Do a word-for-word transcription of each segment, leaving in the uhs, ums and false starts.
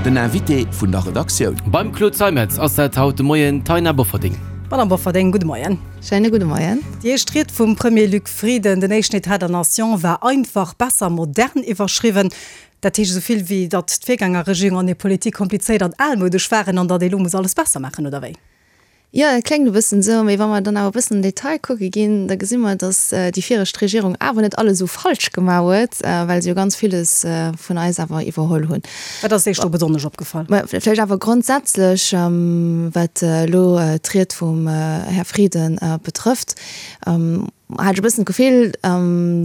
Den Invité vun der Redaktioun. Beim Claude Zeimetz ass dat haut de Moien d'Taina Bofferding. Madame Bofferding, gudde Moien. Schéine gudde Moien. Déi éischt Ried vum Premier Luc Frieden, den éischten État de la Nation, war einfach, besser, modern iwwerschriwwen. Dat heescht esou vill wéi, datt d'Virgängerregierung an hir Politik komplizéiert an almoudesch waren an datt ee lo muss alles besser maachen, oder wéi? Jo, dat kléngt e bëssen esou, mee wa mer dann awer e bëssen an den Detail kucke ginn, da gesi mer, datt déi viregt Regierung awer net alles esou falsch gemaach huet, well se jo ganz villes vun eis awer iwwerholl hunn. Wat ass Iech do besonnesch opgefall? Mä vläicht awer grondsätzlech, wat elo d'Ried vum Här Frieden betrëfft, hat ech e bëssen d'Gefill,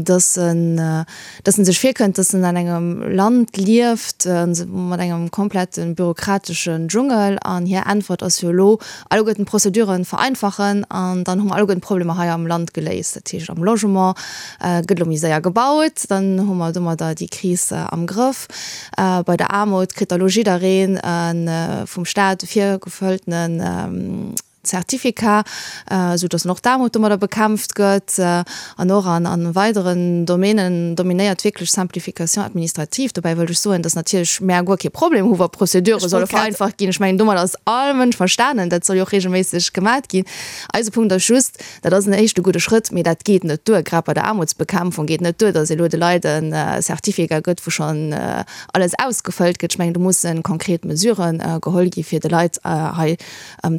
dass en, dass en sech virkënnt, dass en an engem Land lieft mat engem komplette bürokrateschen Dschungel. An hir Äntwert ass jo elo, alleguerten d'Prozeduren vereinfachen an dann hu mer alleguerten d'Problemer hei am Land geléist. Dat heescht, am Logement gëtt elo méi séier gebaut, dann hu mer domadder déi Kris am Grëff. Bei der Aarmut kritt da elo jiddereen e vum Staat virgefëlltenen Certificat, esou datt och d'Aarmut domadder bekämpft gëtt. An och an a weideren Domänen dominéiert wierklech Simplification administrative. Dobäi wëllt ech soen, datt natierlech mär guer kee Problem hu wa Prozedure solle vereinfacht ginn. Ech mengen, domadder ass all Mënsch verstanen. Dat soll jo och regelméisseg gemat ginn. Eise Punkt ass just, dat ass en éischte gudde Schrëtt, mee dat geet net duer. Grad bei der Aarmutsbekämpfung geet net duer, datt ee lo de Leit e Certificat gëtt, wou schonn alles ausgefëllt gëtt. Ech mengen, do musse konkret Mesuren geholl gi fir de Leit hei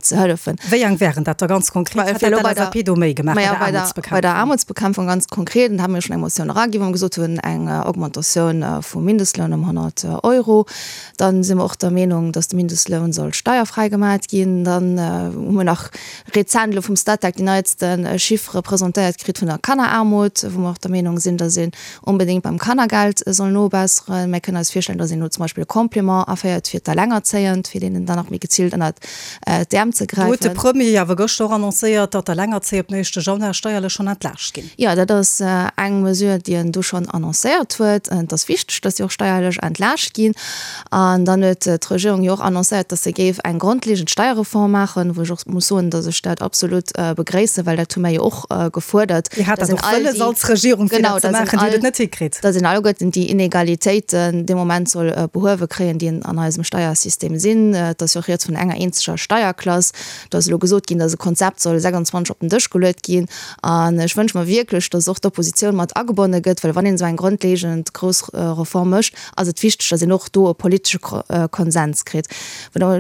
ze hëllefen. Wéi eng wären dat da ganz konkret? Wat hätt d'LSAP do méi gemaach bei der Aarmutsbekämpfung? Bei der Aarmutsbekämpfung ganz konkret, an da hu mir schonn eng Motioun eraginn, wou mer gesot hunn, eng Augmentatioun vum Mindestloun ëm honnert Euro. Dann si mer och der Meenung, datt de Mindestloun soll steierfräi gemat ginn. Dann hu mir nach rezent elo vum Statec déi neitste Chiffere presentéiert kritt vun der Kanneraarmut, wou mer och der Meenung sinn, datt een onbedéngt beim Kannergeld soll nobesseren. Mir kënnen eis virstellen, datt een elo zum Beispill e Complément aféiert fir d'Alengerzéiend, fir deenen dann nach méi geziilt ënnert d'Äerm ze Do huet de gräifen. Premier awer gëschter och annoncéiert, datt d'Alengerzéier op den éischte Januar steierlech schonn entlaascht ginn. Jo, dat ass eng Mesure, déi en do schonn annoncéiert huet. Et ass wichteg, datt si och steierlech entlaascht ginn. An dann huet d'Regierung jo och annoncéiert, datt se géif eng grondlegend Steierreform maachen, wou ech och muss soen, datt ech dat absolut begréissen, well dat hu mir jo och gefuerdert, Dir hat datt dat een och all wëlles déi, als Regierung, fir genau, dat ze datt een maachen. Dir hutt all, et net hikritt. datt een alleguerten déi Inegalitéiten dee Moment soll behuewe kréien, déi an eisem Steiersystem sinn. Et ass jo och rieds vun enger eenzeger Steierklass. Do ass elo gesot ginn, datt e Konzept soll sechsundzwanzeg op den Dësch geluet ginn. An ech wënsche mer wierklech, datt och d'Oppositioun mat agebonne gëtt, well wann een esou eng grondlegend grouss Reform mécht, ass et wichteg, datt een och do e politesche Konsens kritt.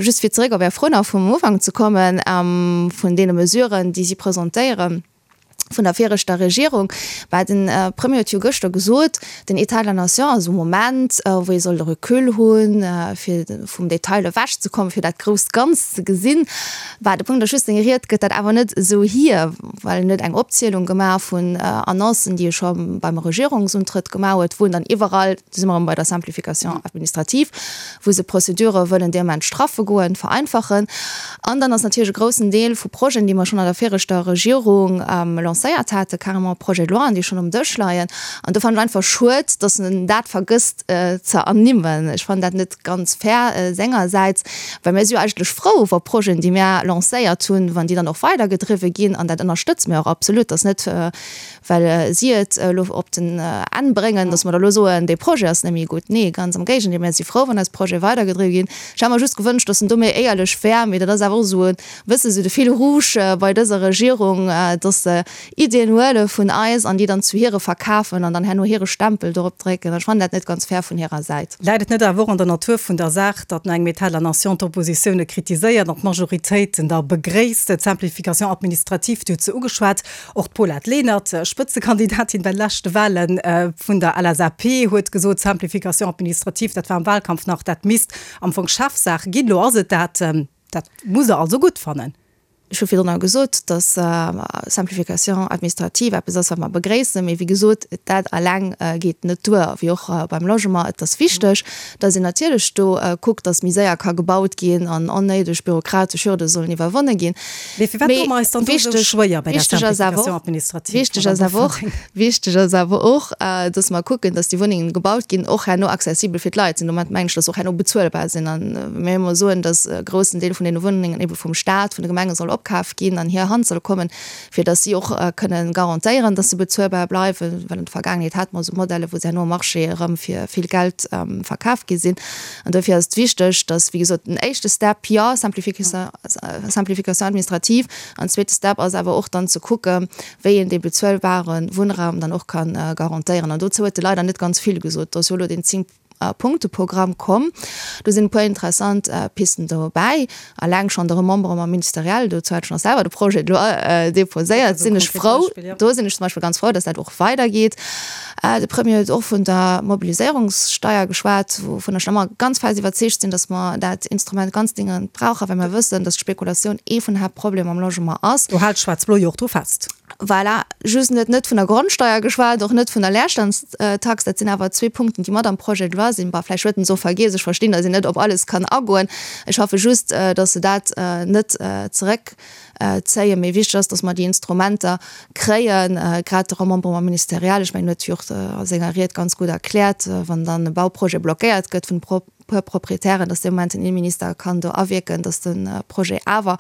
Just fir zeréck op Är Fro nach vum Ufank ze kommen, vun deene Mesuren, déi si presentéieren, vun der viregter Regierung, well den Premier huet jo gëschter gesot, den État de la nation ass e Moment, wou ee soll de Recul hunn, fir vum Detail ewechzekommen, fir dat grousst Ganzt ze gesinn. Bah, de Punkt ass just, seng Ried gëtt dat awer net esou hier, well en huet eng Opzielung gemaach vun Annoncen, déi e scho beim Regierungsuntrëtt gemaach huet, wou en dann iwwerall, do si mer erëm bei der Simplification administrative, wou se Prozedure wëllen dee Moment straffe goen, vereinfachen. An dann ass natierlech e groussen Deel vu Projeten, déi mer schonn an der viregter Regierung lancéiert haten, carrément Projets de loien, déi schonn um Dësch leien. An do fannen ech einfach schued, dass en dat vergësst ze ernimmen. Ech fannen dat net ganz fair sengersäits, well mir si jo eigentlech frou, wa Projeten, déi mir lancéiert hunn, wann déi dann och weidergedriwwe ginn. An dat ënnerstëtze mir och absolut. Dass net, well si et elo op den Enn bréngen, dass mer da elo soen, dee Projet ass net méi gutt. Nee, ganz am Géigendeel, mir si frou, wann eis Projete weidergedriwwe ginn. Ech hätt mer just gewënscht, dass en do méi éierlech wär, mee dat ass awer och esou e bësse sou de Fil rouge bei dëser Regierung, dass se Iddien huele vun eis an déi dann zu hire verkafen an dann herno hire Stempel dorop drécken. Ech fannen dat net ganz fair vun hirer Säit. Läit et net awer och an der Natur vun der Saach, datt no engem État de la nation d'Oppositioune kritiséiert an d'Majoritéit en da begréisst? D'Simplification administrative, Dir hutt se ugeschwat, och d'Paulette Lenert, Spëtzekandidatin bei de leschte Wale vun der L S A P, huet gesot, d'Simplification administrative, dat war am Wahlkampf nach, dat misst am Fong Chefsaach ginn. Elo ass et dat. Dat musst Der also gutt fannen. Ech hu virdrun gesot, datt Simplification administrative eppes ass, wat mer begréissen, mee wéi gesot, dat alleng geet net duer, wéi och beim Logement. Et ass wichteg, datt een natierlech do kuckt, datt méi séier ka gebaut ginn an onnéideg bürokratesch Hürde sollen iwwerwonne ginn. Mee firwat doe mer eis dann do esou schwéier bei der Simplification administrative, Wichteg ass awer och, wichteg ass awer och, datt mer kucken, datt déi Wunnengen gebaut ginn, och herno accessibel fir d'Leit sinn. Domat mengen ech, datt se och herno bezuelbar sinn. An mir ëmmer soen, datt e groussen Deel vun deene Wunnengen ebe vum Staat, vun de Gemenge soll opkaf ginn, an hir Hand soll kommen, fir datt si och kënnen garantéieren, datt se bezuelbar bleiwen, well an der Vergaangenheet hate mer esou Modelle, wou se herno am Marché erëm fir vill Geld verkaf gi sinn. An dofir ass et wichteg, datt, wéi gesot, den éischte Step, jo, Simplification administrative, an zweete Step ass awer och dann ze kucken, wéi een dee bezuelbare Wunnraum dann och ka garantéieren. An dozou huet e leider net ganz vill gesot. Do ass jo elo deen Zéng-Punkte-Programm komm. Do sinn e puer interessant Pisten dobäi. Alleng schonn de Remembrement ministériel, dozou hat ech nach selwer de Projet de loi déposéiert, sinn ech frou. Do sinn ech zum Beispill ganz frou, dass dat och weidergeet. De Premier huet och vun der Mobiliséierungssteier geschwat, wouvun ech ëmmer ganz fest iwwerzeegt sinn, dass mer dat Instrument ganz dringend brauchen, well mer wëssen, dass d'Spekulatioun ee vun den Haaptproblemer am Logement ass. Do hält Schwaarz-Blo jo och dru fest. Voilà, just en huet net vun der Grondsteier geschwat, och net vun der Leerstandstax. Dat sinn awer zwee Punkten, déi mat am Projet de loi sinn. Bah, vläicht huet en se och vergiess. Ech verstinn, dass een net op alles kann agoen. Ech hoffe just, dass se dat net zeréckzéien. Mee wichteg ass, dass mer déi Instrumenter kréien, grad de Remembrement ministériel. Ech mengen, huet jo och a senger Ried ganz gutt erkläert, wann dann e Bauprojet blockéiert gëtt vun puer Proprietären, dass dee Moment den Inneminister kann do awierken, dass de Projet awer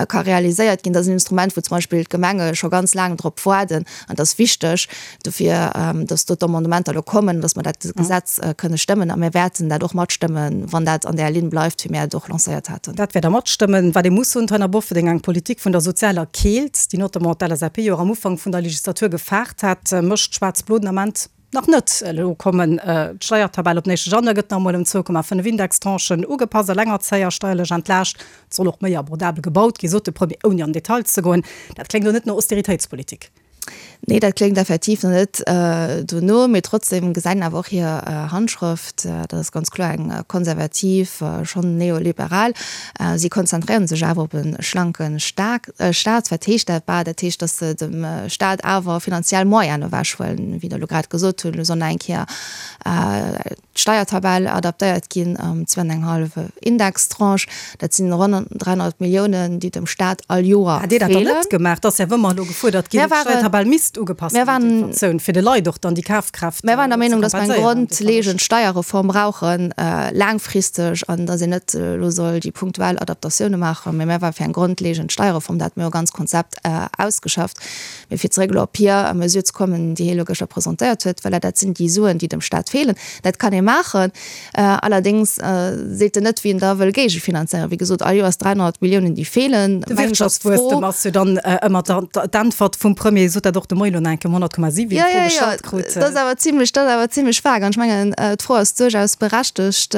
ka realiséiert ginn. Dat ass en Instrument, wou zum Beispill d'Gemenge scho ganz laang drop waarden. An et ass wichteg dofir, dass do d'Amendementer elo kommen, dass mer dat Gesetz kënne stëmmen. A mir wäerten dat och matstëmmen, wann dat an där Linn bleift, wéi mir et och lancéiert haten. Dat wäert Der matstëmmen. Wat ee muss soen, d'Taina Bofferding, eng Politik vun der sozialer Keelt, déi notamment d'LSAP jo och am Ufank vun der Legislatur gefaart hat, mécht Schwaarz-Blo den Ament nach net. Elo kommen d'Steiertabell op den éischte Januar gëtt nach emol ëm zwou Komma fënnef Indextranchen ugepasst, Elengerzéier steierlech entlaascht, et soll och méi abordabel gebaut ginn, sot de Premier, ouni an Detail ze goen. Dat kléngt elo net no Austeritéitspolitik. Nee, dat kléngt effektiv nach net dono, mee trotzdem gesäit een awer och hir Handschrëft, dat ass ganz kloer eng konservativ, schonn neoliberal. Si konzentréiere sech awer op e schlanke Staat. Wat heescht dat? Bah, dat heescht, datt se dem Staat awer finanziell Moyenen ewechhuelen, wéi Der elo grad gesot hutt. Elo soll nach eng Kéier d'Steiertabell adaptéiert ginn ëm zwou an eng hallef Indextranche. Dat sinn ronn dräihonnert Milliounen, déi dem Staat all Joer Hätt Dir dat dann feelen. net gemaach? Et ass ja wëmmer elo gefuerdert ginn, Mir waren, d'Steiertabell misst ugepasst mir ginn, waren, d'Inflatioun, fir de Leit och dann déi Kafkraaft mir waren der ze Meenung, dass mer eng kompenséieren, dee Verloscht. grondlegend Steierreform brauchen, laangfristeg, an dass een net elo soll déi punktuell Adaptatioune maachen, mee mir ware fir eng grondlegend Steierreform. Dat hate mir jo e ganz Konzept ausgeschafft. Mee fir zeréck elo op hir Mesure ze kommen, déi hie elo gëschter presentéiert huet, voilà, dat sinn déi Suen, déi dem Staat feelen. Dat kann ee maachen. Allerdéngs seet en net, wéi en da wëll géigefinanzéieren. Wéi gesot, all Joers dräihonnert Milliounen, déi feelen. De Mengen ech ass d'Fro. Wirtschaftswuesstem ass jo dann ëmmer d'Äntwert vum Premier. Sot dat och de Moien elo nach eng Kéier um honnert Komma siwen, Jo, déi Fro jo, jo, gestallt krut. dat ass awer zimlech, dat ass awer zimlech vag. An ech mengen, d'Fro ass duerchaus berechtegt,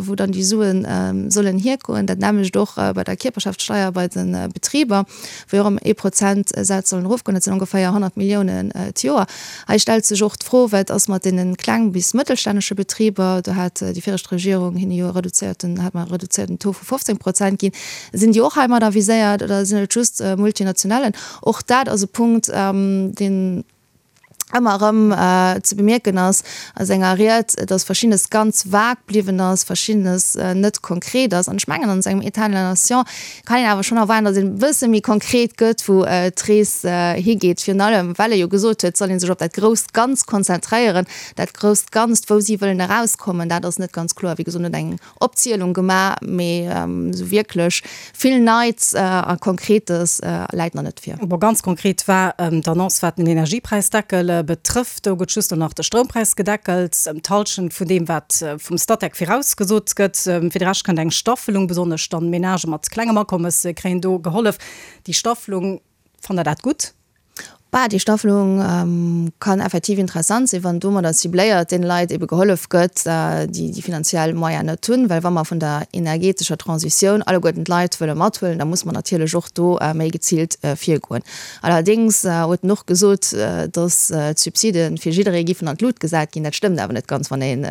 wou dann déi Suen sollen hiergoen. Dat nämmlecht och bei der Kierperschaftssteier bei de Betriber, wou jo och ëm ee Prozentsaz sollen erofgoen. Dat sinn ongeféier honnert Milliounen d'Joer. Hei stellt sech och d'Fro, Wat ass mat deene kleng bis mëttelstännege Betriber? Do hat déi viregt Regierung hinne jo e reduzéierten, hat mer e reduzéierten Taux vu fofzéng Prozent ginn. Sinn déi och heimadder viséiert oder sinn et just Multinationalen? Och dat ass e Punkt, deen ëmmer erëm ze bemierken ass a senger Ried, dass Verschiddenes ganz vag bliwwen ass, Verschiddenes net konkret ass. An ech mengen, an esou engem État de la nation kann een awer schonn erwaarden, dass een e bësse méi konkret gëtt, wou d'Rees higeet. Virun allem, well e jo gesot huet, et soll ee sech op dat grousst Ganz konzentréieren. Dat grousst Ganzt, wou si wëllen erauskommen, dat ass net ganz kloer. Wéi gesot, en huet eng Opzielung gemaach, mee esou wierklech vill Neits a Konkretes läit nach net vir. Bon, ganz konkret war d'Annonce, wat den Energiepräisdeckel betrëfft. Do gëtt just nach de Stroumpräis gedeckelt, ëm d'Hallschent vun deem, wat vum Statec virausgesot gëtt. Fir de Rescht kënnt eng Staffelung, besonnesch dann Menagë mat klengem Akommes kréien do gehollef. Déi Staffelung, fannt Der dat gutt? Bah, déi Staffelung kann effektiv interessant sinn, wann domadder cibléiert deene Leit ebe gehollef gëtt, déi déi finanziell Moyen net hunn. Well wa mer vun der energetescher Transitioun alleguerten d'Leit wëlle mathuelen, da muss mer natierlech och do méi geziilt virgoen. Allerdéngs huet en och gesot, datt d'Subside fir jidderee giffen an d'Lut gesat ginn. Dat stëmmt awer net ganz, wann een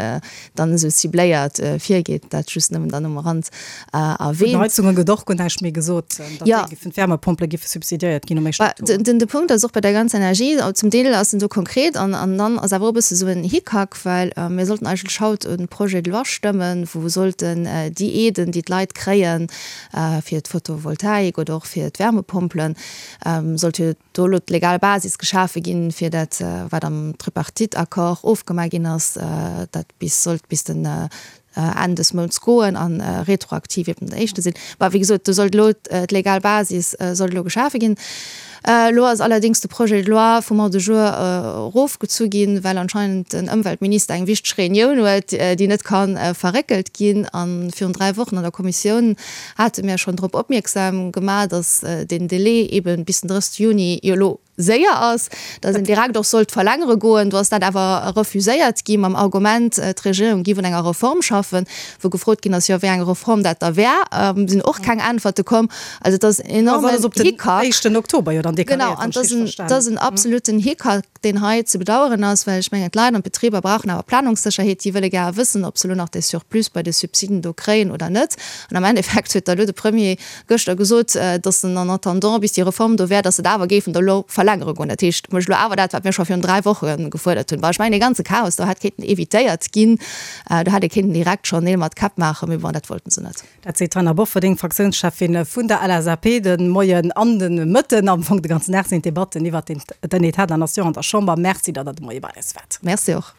dann esou cibléiert virgeet. Dat just nëmmen dann um Rand Vun den erwähnt. Heizunge gëtt och guer näischt méi gesot, datt Ja. déi giffen, d'Wärmepompele giffe subsidiéiert ginn um éischten Oktober. Den, de Punkt ass och bei der ganzer Energie, zum Deel ass en do konkret an, an dann ass awer och e bësse sou en Hickhack, well mir sollten eigentlech haut e Projet de loi stëmmen, wou sollten déi Aiden, déi d'Leit kréien fir d'Photovoltaik oder och fir d'Wärmepompelen, sollt jo do elo d'legal Basis geschafe ginn, fir dat, wat am Tripartite-Accord ofgemaach ginn ass, dat bis sollt bis den Enn des Mounts goen a retroaktiv eben den éischte sinn. Mä wéi gesot, do sollt elo d'legal Basis sollt elo geschafe ginn. Elo ass allerdéngs de Projet de loi vum Ordre du jour erofgezu ginn, well anscheinend den Ëmweltminister eng wichteg Reunioun huet, déi net ka verréckelt ginn. A virun dräi Wochen an der Kommissioun hate mir schonn drop opmierksam gemaach, datt deen Délai eeben bis den drëssegste Juni jo elo séier ass, datt een direkt och sollt verlängere goen. Do ass dat awer refuséiert gi mam Argument, d'Regierung giff un enger Reform schaffen, wou gefrot ginn ass, jo wéi eng Reform dat da wär, sinn och keng Äntwerte komm. Also et ass en enormen Hickhack. Genau, an et ass en absoluten Hickhack, deen hei ze bedauern ass, well ech mengen, d'Leit an d'Betriber brauchen awer Planungssécherheet. Déi wëlle gär wëssen, ob se elo nach dee Surplus bei de Subsiden do kréien oder net. An am Endeffekt huet da elo de Premier gëschter gesot, datt en en attendant, bis déi Reform do wär, datt se et awer géifen da elo verlängere goen. Dat heescht, mécht elo awer dat, wat mir scho virun dräi Woche gefuerdert hunn. Bon, ech mengen, dee ganze Chaos do hätt kéinten evitéiert ginn. Do hätt ee kéinten direkt schonn Neel mat Käpp maachen, mee bon, dat wollten se net. Dat seet d'Taina Bofferding, Fraktiounscheffin vun der L S A P. De Moien an de Mëtten, am Fong de ganzen Dag sinn d'Debatten iwwert den État de la Nation an der Chamber. Merci, datt Der de Moie bei eis waart. Merci och.